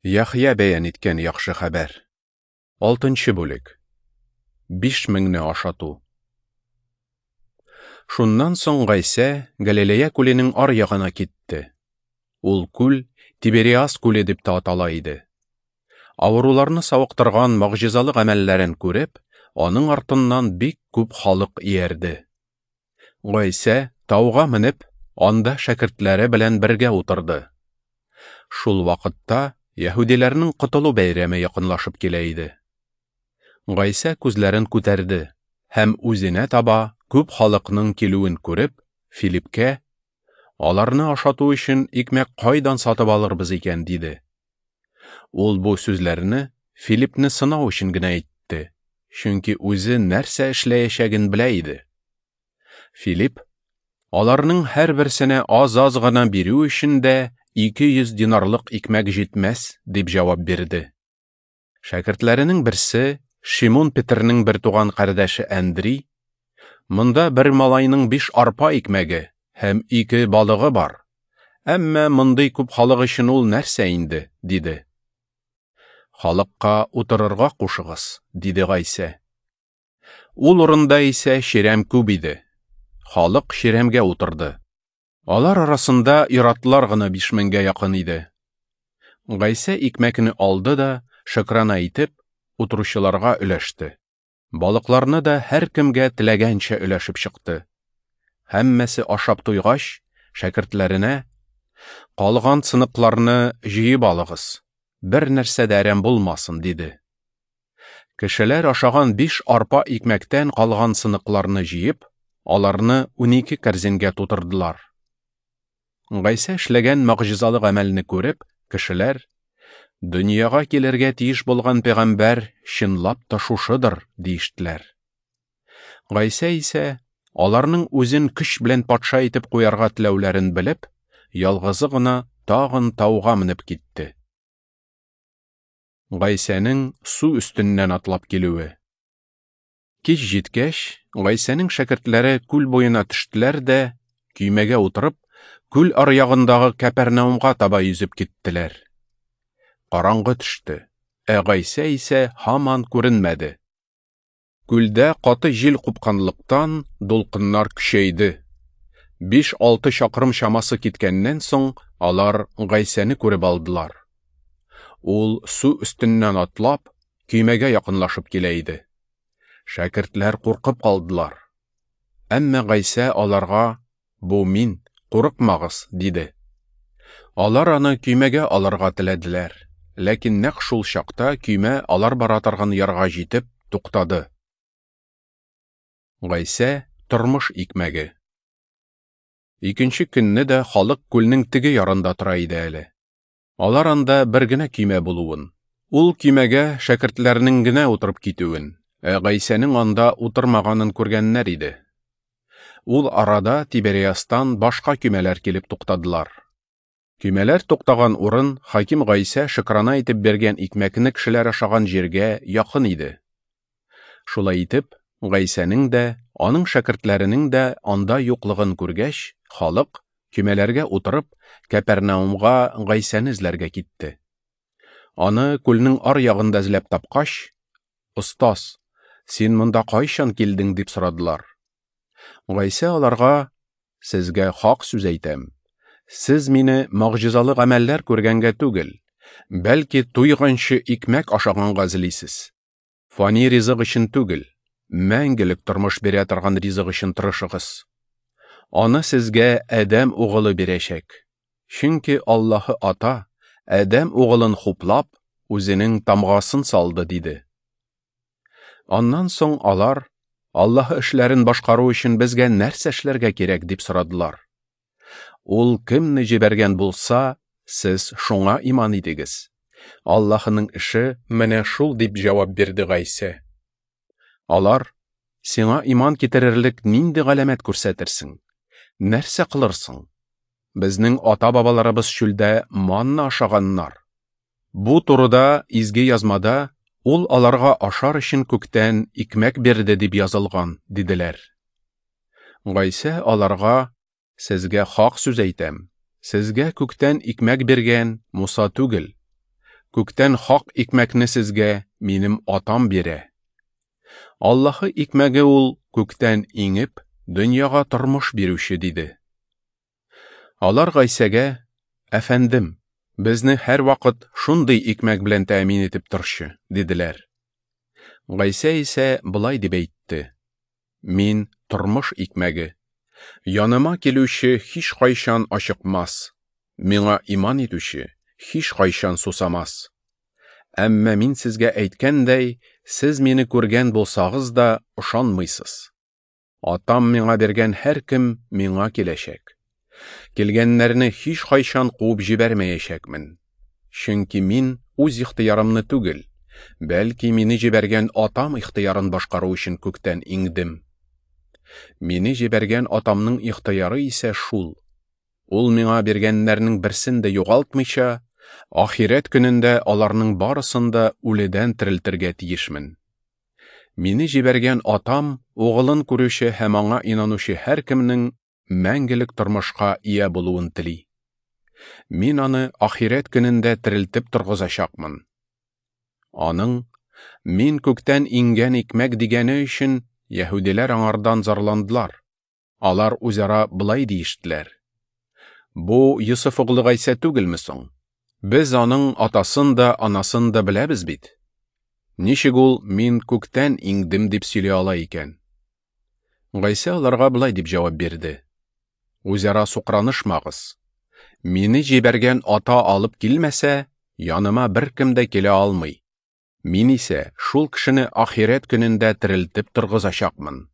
Яхъя бәян иткән яхшы хәбәр. Алтынчы бүлек. 5000-не ашату. Шуннан соң Гайсә Галилея күленең ар ягына китте. Ул күл Тибериас күле дип тә атала иде. Авыруларны савыктырган могҗизалы гамәлләрен күреп, аның артыннан бик күп халык иярде. Гайсә тауга менеп, анда шәкертләре белән бергә утырды. Шул вакытта яһүдиләрнең котылу бәйрәме якынлашып килә иде. Гайсә күзләрен күтәрде һәм үзенә таба күп халыкның килүен күреп, Филипкә: "Аларны ашату өчен икмәк кайдан сатып алырбыз икән?" диде. Ул бу сүзләрне Филипне сынау өчен генә әйтте, чөнки үзе нәрсә эшләячәген белә иде. Филипп, аларның һәрберсенә аз-аз гына бирү өчен дә 200 динарлык икмәк җитмәс, дип җавап бирде. Шәкертләренең берсе, Шимун Петернең бертуган кардәше Әндри, Монда бер малайның биш арпа икмәге һәм ике балыгы бар. Әмма мондый күп халык өчен ул нәрсә инде, диде. Халыкка утырырга кушыгыз, диде Гайсә. Ул урында исә чирәм күп иде. Халык чирәмгә утырды. Алар арасында иратлар гына 5000-гә якын иде. Гайсә икмәкне алды да, шөкрана итеп, утыручыларга өләште. Балыкларны да һәркемгә теләгәнчә өләшеп чыкты. Һәммәсе ашап туйгач, шәкертләренә: "Калган сыныкларны җыеп алыгыз. Бер нәрсә дә әрәм булмасын", диде. Кешеләр ашаган биш арпа икмәктән калган сыныкларны җыеп, аларны 12 кәрзингә тутырдылар. Гайсә эшләгән могҗизалы гамәлне күреп, кешеләр: "Дөньяга килергә тиеш булган пәйгамбәр чынлап та шушыдыр", диештеләр. Гайсә исә аларның үзен көч белән патша итеп куярга теләүләрен белеп, ялгызы гына тагын тауга менеп китте. Гайсәнең су өстеннән атлап килүе. Кич җиткәч, Гайсәнең шәкертләре күл буена төштеләр дә, көймәгә утырып, күл аръягындагы Кәпәрнаумга таба йөзеп киттеләр. Караңгы төште, ә Гайсә исә һаман күренмәде. Күлдә каты җил купканлыктан, дулкыннар көчәйде. 5-6 чакрым чамасы киткәннән соң, алар Гайсәне күреп алдылар. Ул су өстеннән атлап, көймәгә якынлашып килә иде. Шәкертләр куркып калдылар. Әмма Гайсә аларга: "Бу мин, курыкмагыз", диде. Алар аны көймәгә алырга теләделәр, ләкин нәкъ шул чакта көймә алар бара торган ярга җитеп туктады. Гайсә тормыш икмәге. Икенче көнне дә халык күлнең теге ярында тора иде әле. Алар анда бер генә көймә булуын, ул көймәгә шәкертләрнең генә утырып китүен, ә Гайсәнең анда утырмаганын күргәннәр иде. Ул арада Тибериастан башка көймәләр килеп туктадылар. Көймәләр туктаган урын хаким Гайсә шөкрана итеп биргән икмәкне кешеләр ашаган җиргә якын иде. Шулай итеп, Гайсәнең дә, аның шәкертләренең дә анда юклыгын күргәч, халык көймәләргә утырып, Кәпәрнаумга Гайсәне эзләргә китте. Аны күлнең ар ягында эзләп тапкач, "Остаз, син монда кайчан килдең?" дип сорадылар. Гайсә аларга: "Сезгә хак сүз әйтәм. Сез мине могҗизалы гамәлләр күргәнгә түгел, бәлки туйганчы икмәк ашаганга эзлисез. Фани ризык өчен түгел, мәңгелек тормыш бирә торган ризык өчен тырышыгыз. Аны сезгә Адәм угылы бирәчәк. Чөнки Аллаһы Ата Адәм угылын хуплап, үзенең тамгасын салды", диде. Аннан соң алар: "Аллаһы эшләрен башкару өчен безгә нәрсә эшләргә кирәк?" дип сорадылар. Ул кемне җибәргән булса, сез шуңа иман итегез. Аллаһының эше менә шул, дип җавап бирде Гайсә. Алар: "Сиңа иман китерерлек нинди галәмәт күрсәтерсең? Нәрсә кылырсың? Безнең ата-бабаларыбыз чүлдә манна ашаганнар. Бу турыда изге язмада ул аларга ашар өчен күктән икмәк бирде дип язылган", диделәр. Гайсә аларга: "Сезгә хак сүз әйтәм. Сезгә күктән икмәк биргән Муса түгел. Күктән хак икмәкне сезгә минем Атам бирә. Аллаһы икмәге ул күктән иңеп, дөньяга тормыш бирүче, диде. Алар Гайсәгә: Әфәндем, безне һәрвакыт шундый икмәк белән тәэмин итеп торчы, диделәр. Гайсә исә болай дип әйтте: Мин тормыш икмәге. Яныма килүче һичкайчан ачыкмас, миңа иман итүче һичкайчан сусамас. Әмма мин сезгә әйткәндәй, сез мине күргән булсагыз да ышанмыйсыз. Атам миңа биргән һәркем миңа киләчәк. Килгәннәрне һичкайчан куып җибәрмәячәкмен. Чөнки мин үз ихтыярымны түгел, бәлки мине җибәргән Атам ихтыярын башкару өчен күктән иңдем. Мине җибәргән Атамның ихтыяры исә шул: Ул миңа биргәннәрнең берсен дә югалтмыйча, ахирәт көнендә аларның барысын да үледән терелтергә тиешмен. Мине җибәргән Атам Угылын күрүче һәм аңа инанучы һәркемнең мәңгелек тормышка ия булуын тели. Мин аны ахирәт көнендә терелтеп торгызачакмын. Аның Мин күктән иңгән икмәк дигәне өчен яһүдиләр аңардан зарландылар. Алар үзара болай диештеләр: Бу Йосыф углы Гайсә түгелме соң? Без аның атасын да, анасын да беләбез бит. Ничек ул мин күктән иңдем дип сөйли ала икән? Гайсә аларга болай дип җавап бирде: Үзара сукранышмагыз. Мине җибәргән ата алып килмәсә, яныма беркем дә килә алмый. Мин исә шул кешене ахирәт көнендә терелтеп торгызачакмын.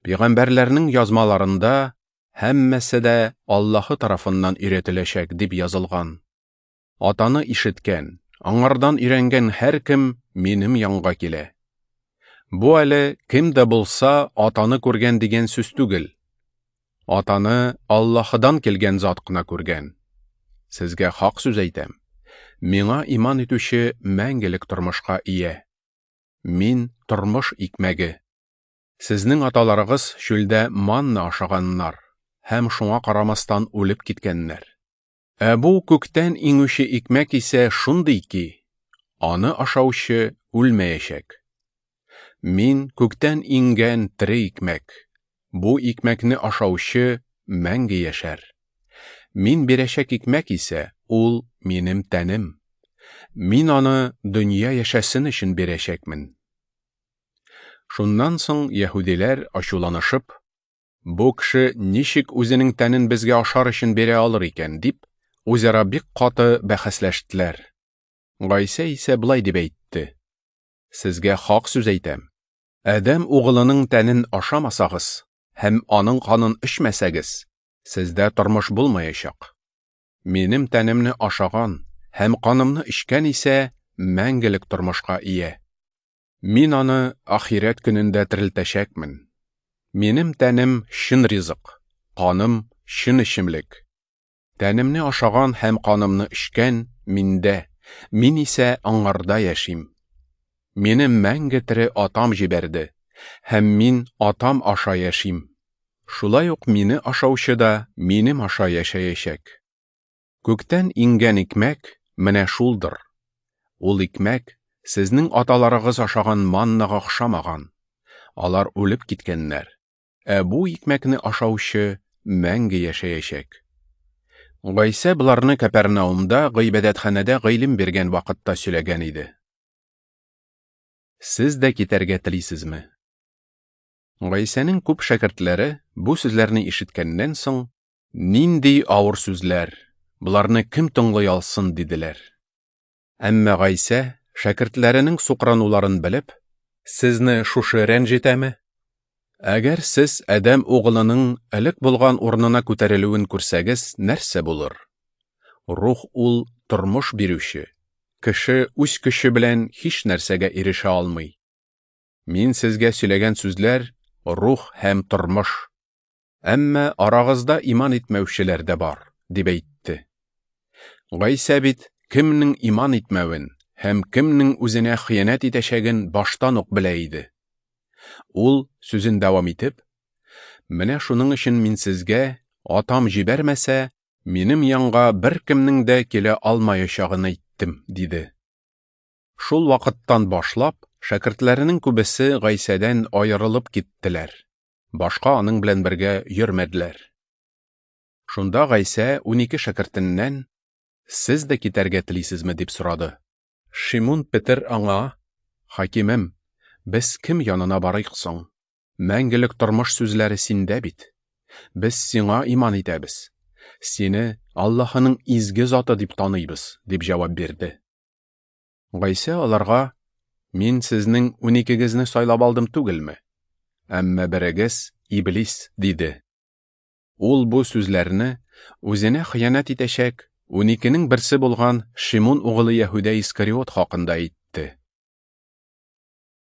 Пәйгамбәрләрнең язмаларында һәммәсе дә Аллаһы тарафыннан өйрәтеләчәк дип язылган. Атаны ишеткән, аңардан өйрәнгән һәркем минем янга килә. Бу әле кем дә булса Атаны күргән дигән сүз түгел. Атаны Аллаһыдан килгән зат кына күргән. Сезгә хак сүз әйтәм: миңа иман итүче мәңгелек тормышка ия. Мин тормыш икмәге. Сезнең аталарыгыз чүлдә манна ашаганнар һәм шуңа карамастан үлеп киткәннәр. Ә бу күктән иңүче икмәк исә шундый ки, аны ашаучы үлмәячәк. Мин күктән иңгән тере икмәк. Бу икмәкне ашаучы мәңге яшәр. Мин бирәчәк икмәк исә ул минем тәнем. Мин аны дөнья яшәсен өчен бирәчәкмен. Шуннан соң яһүдиләр ачуланышып, бу кеше ничек үзенең тәнен безгә ашар өчен бирә алыр икән, дип, үзара бик каты бәхәсләштеләр. Гайсә исә болай дип әйтте: Сезгә хак сүз әйтәм. Адәм угылының тәнен ашамасагыз һәм аның канын эчмәсәгез, сездә тормыш булмаячак. Минем тәнемне ашаган һәм канымны эчкән исә мәңгелек тормышка ия. Мин аны ахирәт көнендә терелтәчәкмен. Минем тәнем чын ризык, каным чын эчемлек. Тәнемне ашаган һәм канымны эчкән миндә, мин исә аңарда яшим. Мине мәңге тере Атам җибәрде, һәм мин Атам аша яшим. Шулай ук мине ашаучы да минем аша яшәячәк. Күктән иңгән икмәк менә шулдыр. Ул икмәк сезнең аталарыгыз ашаган маннага охшамаган. Алар үлеп киткәннәр. Ә бу икмәкне ашаучы мәңге яшәячәк. Гайсә боларны Кәпәрнаумда гыйбадәтханәдә гыйлем биргән вакытта сөйләгән иде. Сез дә китәргә телисезме? Гайсәнең күп шәкертләре бу сүзләрне ишеткәннән соң, нинди авыр сүзләр, боларны кем тыңлый алсын, диделәр. Әмма Гайсә шәкертләренең сукрануларын белеп, сезне шушы рәнҗетәме? Әгәр сез Адәм угылының элек булган урынына күтәрелүен күрсәгез, нәрсә булыр? Рух ул тормыш бирүче. Кеше үз көче белән һич нәрсәгә ирешә алмый. Мин сезгә сөйләгән сүзләр рух һәм тормыш. Әмма арагызда иман итмәүчеләр дә бар, дип әйтте. Гайсә бит кемнең иман итмәвен һәм кемнең үзенә хыянәт итәчәген баштан ук белә иде. Ул сүзен дәвам итеп, менә шуның өчен мин сезгә, Атам җибәрмәсә, минем янга беркемнең дә килә алмаячагын әйттем, диде. Шул вакыттан башлап, шәкертләренең күбесе Гайсәдән аерылып киттеләр. Башка аның белән бергә йөрмәделәр. Шунда Гайсә 12 шәкертеннән: "Сез дә китәргә телисезме?" дип сорады. Шимун Петер аңа: "Хакимем, без кем янына барыйк соң? Мәңгелек тормыш сүзләре синдә бит. Без сиңа иман итәбез. Сине Аллаһының изге заты дип таныйбыз", дип җавап бирде. Гайсә аларга: "Мин сезнең уникегезне сайлап алдым түгелме? Әмма берегез иблис", диде. Ул бу сүзләрне үзенә хыянәт итәчәк уникенең берсе булган Шимун угылы Яһүдә Искариот хакында әйтте.